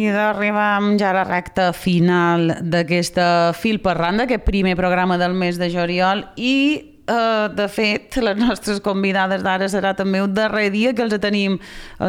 seguida arribam ja a la recta final d'aquesta Fil per Randa, aquest primer programa del mes de juliol, i de fet les nostres convidades d'ara serà també un darrer dia que els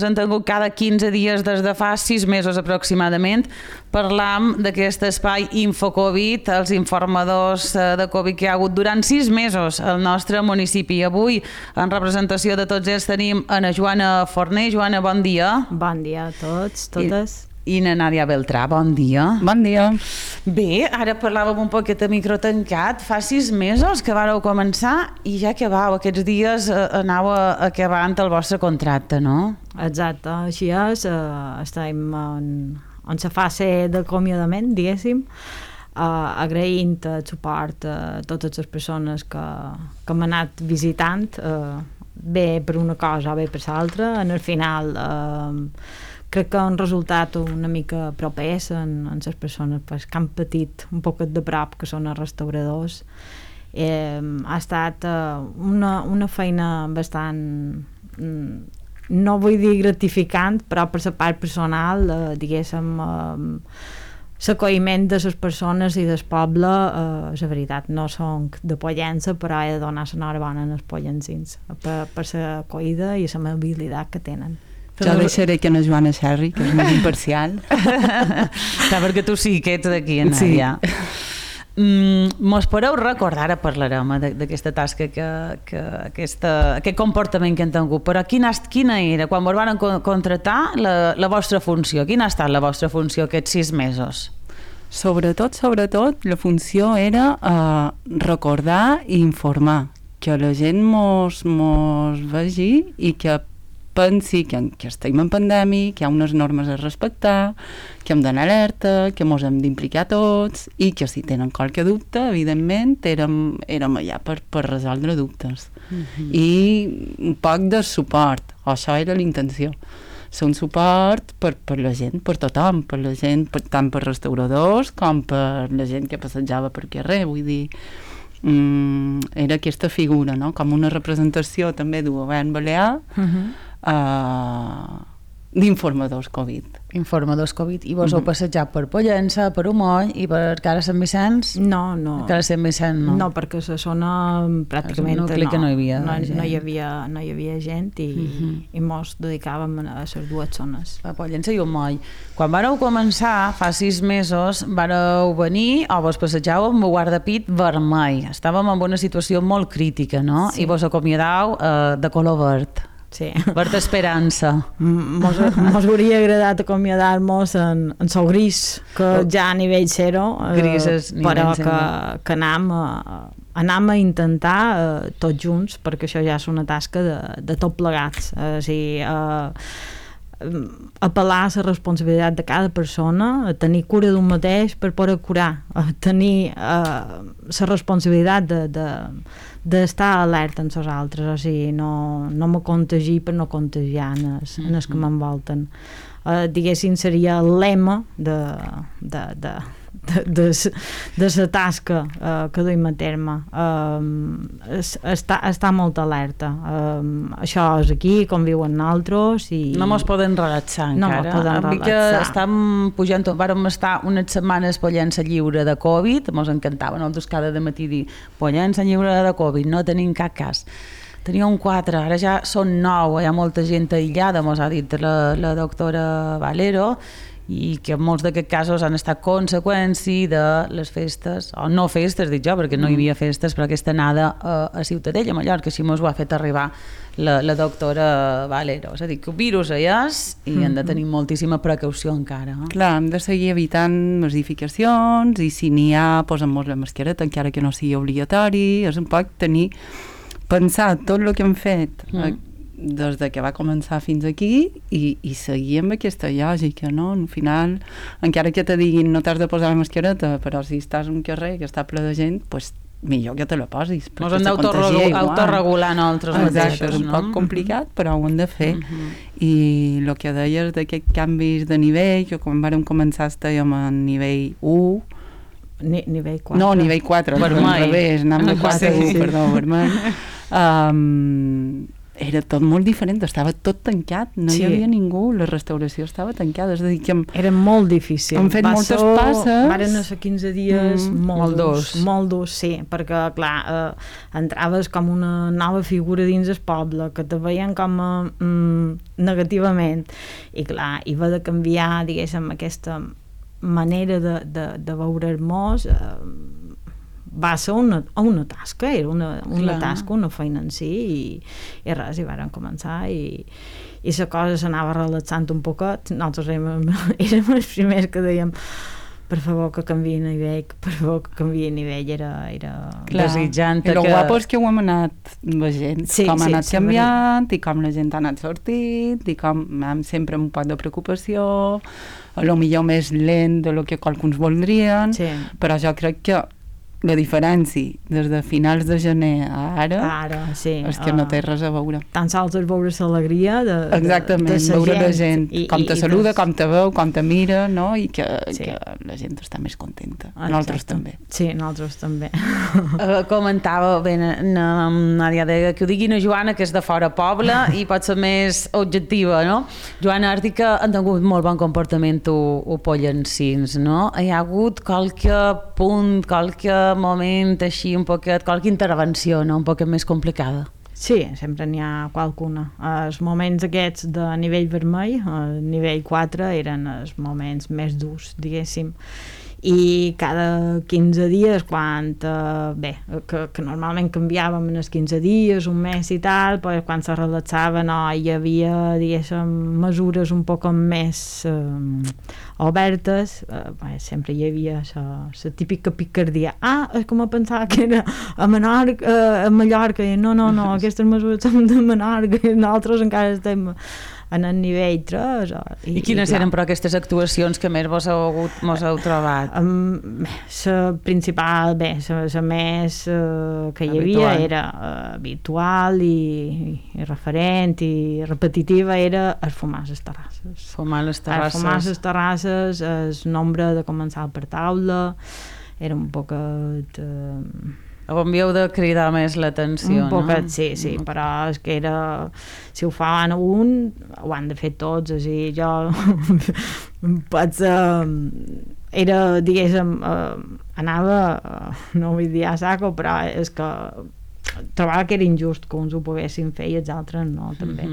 han tingut cada 15 dies des de fa 6 mesos aproximadament. Parlam d'aquest espai InfoCovid, els informadors de Covid que hi ha hagut durant 6 mesos al nostre municipi. Avui, en representació de tots ells, tenim Ana Joana Forner. Joana, bon dia. Bon dia a tots, totes. I na Nàdia Beltrà, bon dia. Bon dia. Bé, ara parlàvem un poquet a micro tancat. Fa 6 mesos que vareu començar i ja acabau. Aquests dies anau acabant el vostre contracte, no? Exacte, així és. Estem en la fase d'acomiadament, diguéssim, agraint el suport a totes les persones que m'han anat visitant, bé per una cosa o bé per l'altra. En el final crec que han resultat una mica propers en les persones que han patit un poquet de prop, que són els restauradors. Ha estat una feina bastant, no vull dir gratificant, però per la part personal, diguéssim, l'acolliment de les persones i del poble, la veritat, no són de Pollença, però he de donar l'enhorabona als pollensins per l'acollida i l'amabilitat que tenen. Jo deixaré que la Joana xerri, que és més imparcial. Clar, perquè tu sí que ets d'aquí, Nàdia. Mos podeu recordar, ara parlarem d'aquesta tasca, aquest comportament que han tingut, però quina era, quan vos van contractar, la vostra funció? Quina ha estat la vostra funció aquests 6 mesos? Sobretot, la funció era recordar i informar, que la gent mos vegi i que pensi que estem en pandèmia, que hi ha unes normes a respectar, que hem d'anar alerta, que mos hem d'implicar tots i que si tenen qualque dubte, evidentment, érem allà per resoldre dubtes. I un poc de suport, això era la intenció. Ser un suport per la gent, per tothom, per la gent, tant per restauradors com per la gent que passejava per carrer, vull dir, era aquesta figura, no? Com una representació també del govern balear, d'informadors Covid. Informadors Covid. I vos heu passejat per Pollença, per Umoll i per Cara Sant Vicenç? No. Cara Sant Vicenç no. No, perquè la zona pràcticament no hi havia gent i mos dedicàvem a les dues zones. A Pollença i Umoll. Quan vareu començar, fa 6 mesos, vareu venir o vos passejau amb el guardapit vermell. Estàvem en una situació molt crítica, no? Sí. I vos acomiadau de color verd. Sí. Verd esperança. Mos hauria agradat acomiadar-nos en sol gris, que ja a nivell zero, però que anam a intentar tots junts, perquè això ja és una tasca de tot plegats. Apel·lar a la responsabilitat de cada persona, a tenir cura d'un mateix per poder curar, a tenir la responsabilitat d'estar alerta amb els altres, o sigui, no me contagi per no contagiar en els que m'envolten. Diguéssim, seria el lema de la tasca que duim a terme. Està molt alerta. Això és aquí, com viuen nosaltres. No mos poden relaxar encara. Estem pujant, vàrem estar unes setmanes Pollença lliure de Covid, mos encantava nosaltres cada matí dir Pollença lliure de Covid, no tenim cap cas. Teníem 4, ara ja són 9, hi ha molta gent aïllada, mos ha dit la doctora Valero, i que molts d'aquests casos han estat conseqüència de les festes, o no festes, dic jo, perquè no hi havia festes, però aquesta anada a Ciutadella, a Mallorca, així mos ho ha fet arribar la doctora Valero. És a dir, que el virus hi és i hem de tenir moltíssima precaució encara. Clar, hem de seguir evitant masificacions i si n'hi ha, posem-nos la mascareta, encara que no sigui obligatori, és un poc pensar tot el que hem fet des de que va començar fins aquí i seguir amb aquesta lògica, no? Al final, encara que te diguin no t'has de posar la mascareta, però si estàs en un carrer que està ple de gent, doncs millor que te la posis. Ens hem d'autoregular nosaltres mateixos, no? És un poc complicat, però ho hem de fer. I el que deies d'aquests canvis de nivell, que quan vam començar estàvem a nivell 1, nivell 4. No, nivell 4, vermell. Al revés, anem de 4 a 1, perdó, vermell. era tot molt diferent, estava tot tancat, no hi havia ningú, la restauració estava tancada, és a dir que era molt difícil. Hem fet moltes passes. Varen ser 15 dies molt durs, sí, perquè clar, entraves com una nova figura dins el poble, que te veien com negativament, i clar, hi va de canviar, diguéssim, aquesta manera de veure el mos, va ser una tasca, era una tasca, una feina en si, i res, i varen començar, i la cosa s'anava relaxant un poquet. Nosaltres érem els primers que dèiem per favor que canviï a nivell, per favor que canviï a nivell, era desitjant. I el guapo és que ho hem anat veient, com ha anat canviant, i com la gent ha anat sortint, i com sempre amb un poc de preocupació, a lo millor més lent de lo que qualcuns voldrien, però jo crec que la diferència des de finals de gener a ara és que no té res a veure. Tan sols és veure l'alegria de veure la gent, com te saluda, com te veu, com te mira, no? I que la gent està més contenta. Nosaltres també. Sí, nosaltres també. Comentava bé, Nàdia, que ho digui una Joana que és de fora poble i pot ser més objectiva, no? Joana, Àrtica han tingut molt bon comportament o pollencins, no? Hi ha hagut qualque punt, qualque moment així un poquet, qualque intervenció, no? Un poquet més complicada. Sí, sempre n'hi ha qualcuna. Els moments aquests de nivell vermell, el nivell 4, eren els moments més durs, diguéssim. I cada 15 dies, quan que normalment canviàvem en els 15 dies, un mes i tal, però quan se relaxava hi havia, diguéssim, mesures un poc més obertes, sempre hi havia la típica picardia. És com a pensar que era a Mallorca, i no, aquestes mesures són de Menorca, i nosaltres encara estem en el nivell 3. I quines eren, però, aquestes actuacions que més vos heu trobat? La principal, la més que hi havia era habitual i referent i repetitiva, era el fumar a les terrasses. Fumar a les terrasses. Fumar a les terrasses, el nombre de començar per taula, era un poquet... On havíeu de cridar més l'atenció, un poquet, no? Sí, però és que era... Si ho fan un, ho han de fer tots, o sigui, jo pots... Era, diguéssim, anava, no vull dir a saco, però és que trobava que era injust que uns ho poguessin fer i els altres no, també.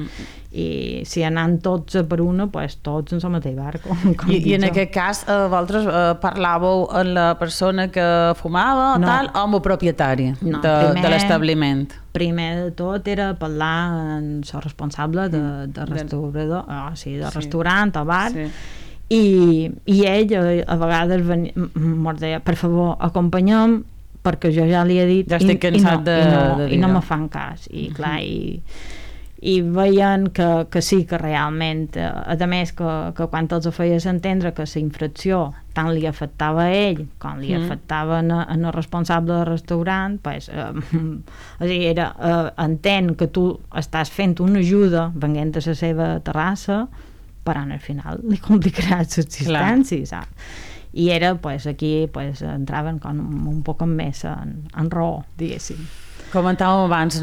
I si anant tots per una, doncs tots en el mateix barco. I en aquest cas, vosaltres parlàveu amb la persona que fumava o tal, o amb el propietari de l'establiment? Primer de tot era parlar amb el responsable de restaurador, de restaurant o bar, i ell a vegades ens deia, per favor, acompanyem, perquè jo ja li he dit ja estic cansat de dir i no me fan cas, i clar, i veien que sí, que realment a més que quan els feies entendre que la infracció tant li afectava a ell com li afectava en el responsable del restaurant, pues, era entén que tu estàs fent una ajuda venint a la seva terrassa, però al final li complicaràs l'existència, saps? I era, aquí entraven com un poc més en raó, diguéssim. Comentàvem abans,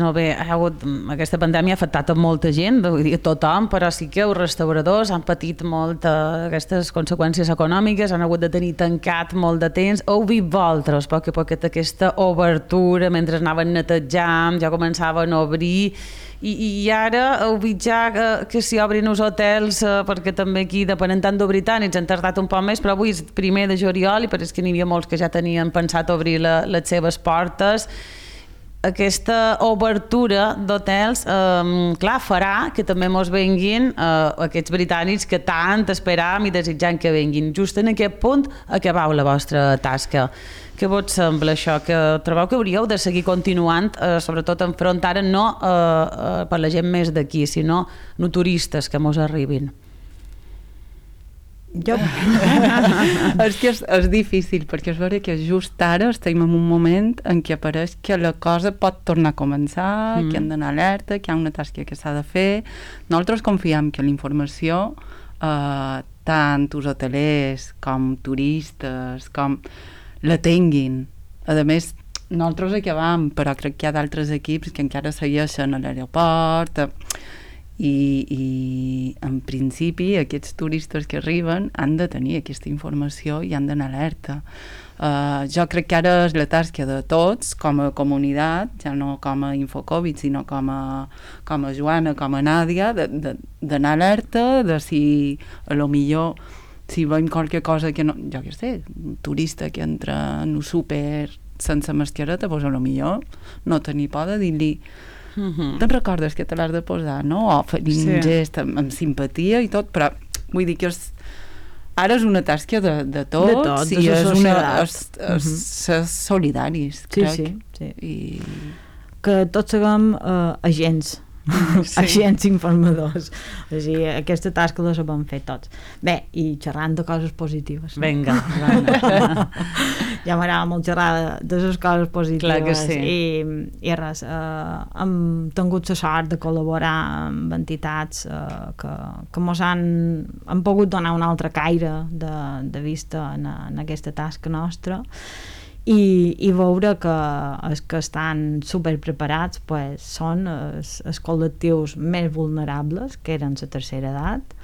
aquesta pandèmia ha afectat a molta gent, vull dir, tothom, però sí que els restauradors han patit molt aquestes conseqüències econòmiques, han hagut de tenir tancat molt de temps. Heu vist vosaltres, poc a poc, aquesta obertura, mentre anaven netejant, ja començaven a obrir, i ara heu vist ja que s'hi obrin els hotels, perquè també aquí, depenent tant d'obrir tant, ens han tardat un poc més, però avui és primer de juliol i pareix que n'hi havia molts que ja tenien pensat obrir les seves portes. Aquesta obertura d'hotels, clar, farà que també mos venguin aquests britànics que tant esperàvem i desitjant que venguin. Just en aquest punt acabau la vostra tasca. Què vos sembla això? Que trobeu que hauríeu de seguir continuant, sobretot enfrontar no per la gent més d'aquí, sinó no turistes que mos arribin? És que és difícil, perquè és vera que just ara estem en un moment en què apareix que la cosa pot tornar a començar, que hem d'anar alerta, que hi ha una tasca que s'ha de fer. Nosaltres confiem que la informació, tant els hotelers com turistes, com la tinguin. A més, nosaltres acabam, però crec que hi ha d'altres equips que encara segueixen a l'aeroport, i en principi aquests turistes que arriben han de tenir aquesta informació i han d'anar alerta. Jo crec que ara és la tasca de tots com a comunitat, ja no com a Infocovid, sinó com a Joana, com a Nàdia, d'anar alerta, de si a lo millor si veiem qualque cosa que no, jo què sé, un turista que entra en un súper sense mascareta, doncs a lo millor no tenir por de dir-li te'n recordes que te l'has de posar, no? O fer un gest amb simpatia i tot, però vull dir que ara és una tasca de tots i és solidaris, crec. Sí. I que tots siguem agents, agents informadors. O sigui, aquesta tasca la sabem fer tots. Bé, i xerrant de coses positives. Vinga. Ja m'agrada molt xerrar de les coses positives. Clar que sí. I res, hem tingut la sort de col·laborar amb entitats que mos han pogut donar un altre caire de vista en aquesta tasca nostra i veure que els que estan superpreparats pues, són els col·lectius més vulnerables, que eren la tercera edat,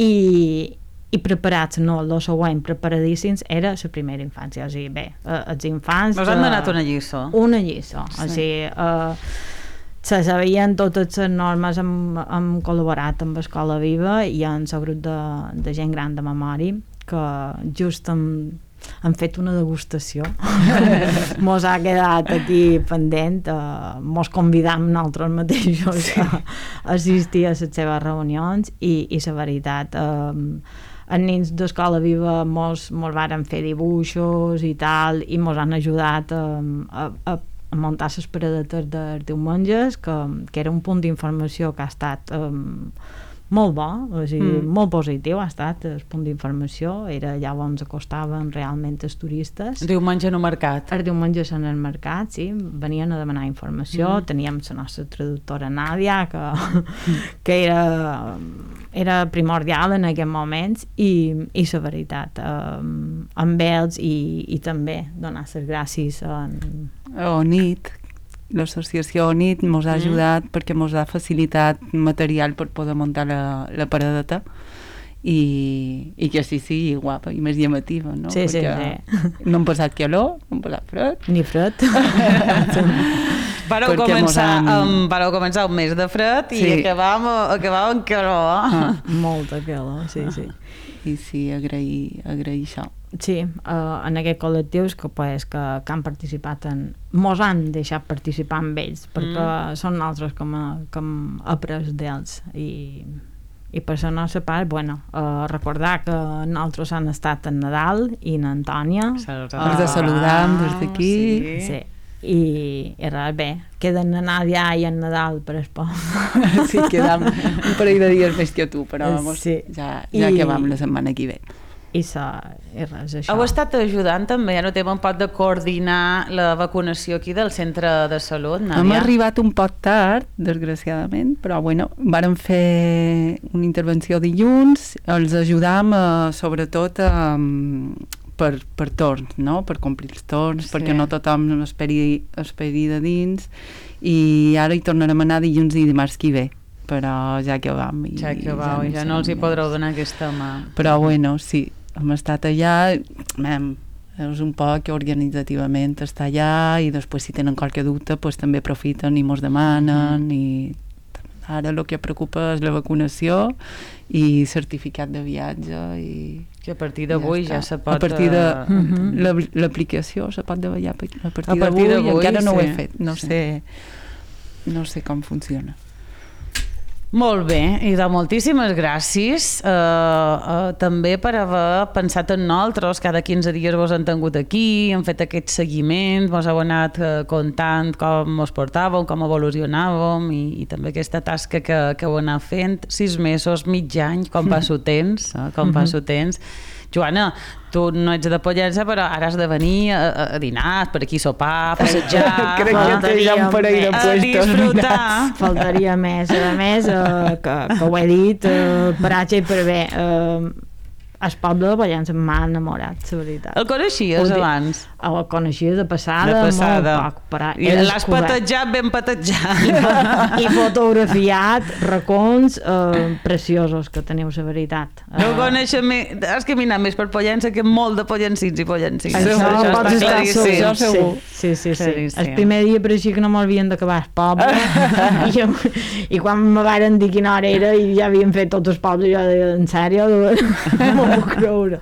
i preparats, no, el següent, preparadíssims, era la primera infància. O sigui, bé, els infants... Us han donat una lliçó. Una lliçó. Sí. O sigui, se sabien totes les normes, hem col·laborat amb Escola Viva i en el grup de gent gran de memòria, que just han fet una degustació. Mos ha quedat aquí pendent, mos convidam nosaltres mateixos a assistir a les seves reunions i la veritat, els nens d'Escola Viva mos varen fer dibuixos i tal, i mos han ajudat a muntar les paradetes dels diumenges, que era un punt d'informació que ha estat molt bo, o sigui, molt positiu ha estat el punt d'informació, era allà on acostaven realment els turistes. Diumenge en el mercat. Els diumenges en el mercat, sí, venien a demanar informació, teníem la nostra traductora Nàdia, que era primordial en aquests moments, i la veritat, amb ells i també donar les gràcies a ONIT. L'associació ONIT ens ha ajudat perquè ens ha facilitat material per poder muntar la paradeta i que així sigui guapa i més llamativa, no? Sí. No hem passat calor, no hem passat fred. Ni fred. Vareu començar un mes de fred i acabàvem amb calor. Molta calor, sí. I sí, agrair això. Sí, en aquests col·lectius que han participat mos han deixat participar amb ells perquè són nosaltres que hem après d'ells i per la nostra part, recordar que nosaltres han estat en Nadal i en Antònia els de saludar des d'aquí sí. I res, bé, queden en Nàdia i en Nadal per el poble. Sí, quedam un parell de dies més que tu, però ja acabam la setmana que ve. I res, això. Heu estat ajudant també, ja no té un poc de coordinar la vacunació aquí del centre de salut, Nàdia? Hem arribat un poc tard, desgraciadament, però vàrem fer una intervenció dilluns, els ajudam sobretot per torns, no? Per complir els torns, perquè no tothom esperi de dins, i ara hi tornarem a anar dilluns i dimarts que ve, però ja que vam. Ja no els hi podreu donar aquesta mà. Però sí, hem estat allà, és un poc organitzativament estar allà i després si tenen qualque dubte també aprofiten i mos demanen i ara el que preocupa és la vacunació i certificat de viatge i que a partir d'avui ja se pot... A partir de l'aplicació se pot davallar a partir d'avui, encara no ho he fet, no sé com funciona. Molt bé, i de moltíssimes gràcies també per haver pensat en nosaltres. Cada 15 dies vos han tingut aquí, hem fet aquest seguiment, vos heu anat contant com us portàvem, com evolucionàvem i també aquesta tasca que heu anat fent. 6 mesos, mig any, com passa el temps. Joana, tu no ets de Pollença, però ara has de venir a dinar, per aquí sopar, a passejar... Crec que té ja un parell de puestos. A disfrutar. Faltaria més. A més, que ho he dit, per H i per B, el poble de Pollença m'ha enamorat, la veritat. El coneixies abans? El coneixia de passada. Molt poc, però i l'has patejat ben patejat. I fotografiat racons preciosos que teniu, la veritat. No coneixes més, has caminat més per Pollença que molt de pollencins i pollencins. Això pots estar segur. Sí. El primer dia pareixia que no m'havien d'acabar el poble i quan me varen dir quina hora era i ja havien fet tots els pobles, jo deia, en sèrio? No m'ho puc creure.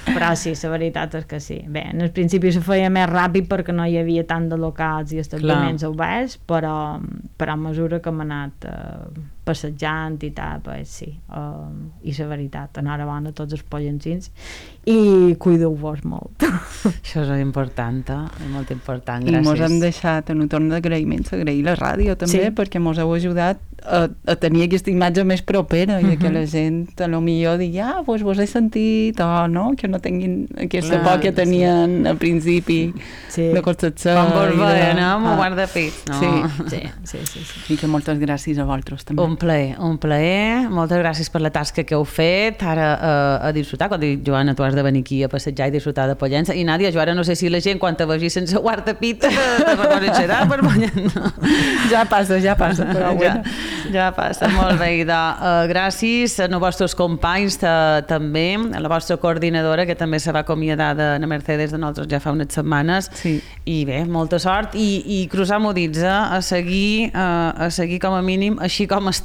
Però sí, la veritat és que sí. Bé, en el principi se feia més ràpid perquè no hi havia tant de locals i establiments oberts, però a mesura que hem anat passejant i tal, pues sí. I la veritat, enhorabona a tots els pollencins i cuideu-vos molt. Això és important, és molt important, gràcies. I mos hem deixat en un torn d'agraïments, agrair la ràdio també, perquè mos heu ajudat a tenir aquesta imatge més propera i que la gent a lo millor digui, doncs vos he sentit, o no, que no tinguin aquesta por que tenien al principi de Concepció. Com vos veien, amb el guardapit, no? Sí. I que moltes gràcies a vosaltres també. Un plaer. Moltes gràcies per la tasca que heu fet. Ara a disfrutar, quan dic, Joana, tu has de venir aquí a passejar i disfrutar de Pollença. I Nàdia, jo ara no sé si la gent, quan te vegi sense guardapit, te reconeixerà per Pollença. Ja passa, però bueno. Ja passa, molt bé. Gràcies als vostres companys també, a la vostra coordinadora, que també se va acomiadar de la Mercedes de nosaltres ja fa unes setmanes. Sí. I bé, molta sort i cruzar-m'ho dits, a seguir com a mínim així com està. A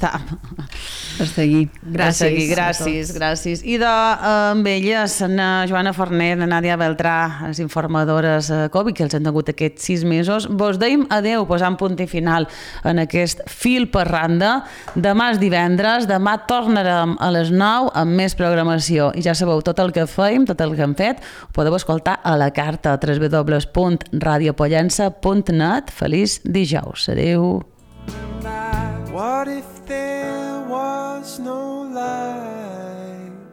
seguir. Gràcies. I amb elles, la Joana Forner, la Nàdia Beltrà, les informadores Covid, que els han tingut aquests 6 mesos, vos deim adeu, posant punt i final en aquest fil per randa. Demà és divendres, demà tornarem a les 9 amb més programació. I ja sabeu, tot el que feim, tot el que hem fet, ho podeu escoltar a la carta www.radiopollença.net. Feliç dijous. Adeu. What if there was no light?